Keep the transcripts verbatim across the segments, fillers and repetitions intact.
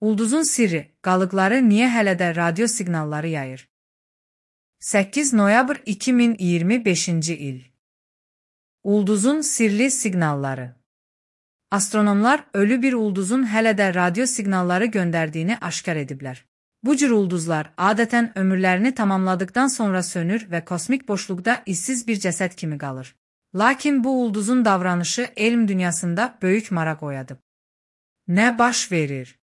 Ulduzun sirri, qalıqları niyə hələ də radio siqnalları yayır? səkkiz noyabr iki min iyirmi beşinci il. Ulduzun sirli siqnalları. Astronomlar ölü bir ulduzun hələ də radio siqnalları göndərdiyini aşkar ediblər. Bu cür ulduzlar adətən ömürlərini tamamladıktan sonra sönür və kosmik boşluqda izsiz bir cəsəd kimi qalır. Lakin bu ulduzun davranışı elm dünyasında böyük maraq oyadıb. Nə baş verir?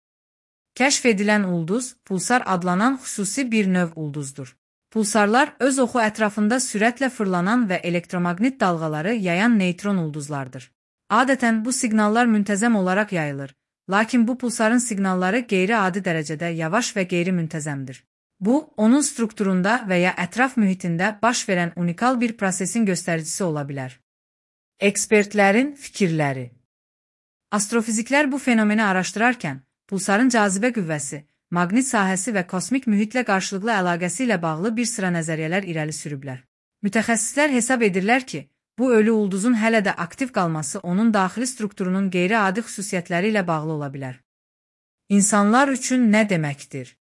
Kəşf edilən ulduz, pulsar adlanan xüsusi bir növ ulduzdur. Pulsarlar öz oxu ətrafında sürətlə fırlanan və elektromaqnit dalğaları yayan neytron ulduzlardır. Adətən bu siqnallar müntəzəm olaraq yayılır, lakin bu pulsarın siqnalları qeyri-adi dərəcədə yavaş və qeyri-müntəzəmdir. Bu, onun strukturunda və ya ətraf mühitində baş verən unikal bir prosesin göstəricisi ola bilər. Ekspertlərin fikirləri. Astrofiziklər bu fenomeni araşdırarkən, pulsarın cazibə qüvvəsi, maqnit sahəsi və kosmik mühitlə qarşılıqlı əlaqəsi ilə bağlı bir sıra nəzəriyyələr irəli sürüblər. Mütəxəssislər hesab edirlər ki, bu ölü ulduzun hələ də aktiv qalması onun daxili strukturunun qeyri-adi xüsusiyyətləri ilə bağlı ola bilər. İnsanlar üçün nə deməkdir?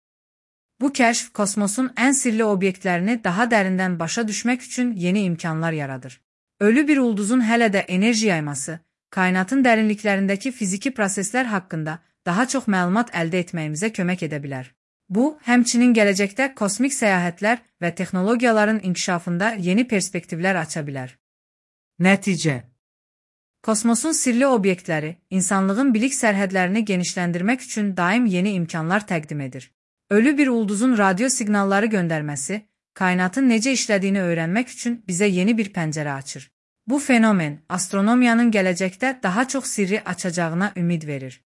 Bu kəşf kosmosun ən sirli obyektlərini daha dərindən başa düşmək üçün yeni imkanlar yaradır. Ölü bir ulduzun hələ də enerji yayması, kainatın dərinliklərindəki fiziki proseslər haqqında daha çox məlumat əldə etməyimizə kömək edə bilər. Bu, həmçinin gələcəkdə kosmik səyahətlər və texnologiyaların inkişafında yeni perspektivlər aça bilər. Nəticə. Kosmosun sirli obyektləri, insanlığın bilik sərhədlərini genişləndirmək üçün daim yeni imkanlar təqdim edir. Ölü bir ulduzun radio siqnalları göndərməsi, kainatın necə işlədiyini öyrənmək üçün bizə yeni bir pəncərə açır. Bu fenomen, astronomiyanın gələcəkdə daha çox sirri açacağına ümid verir.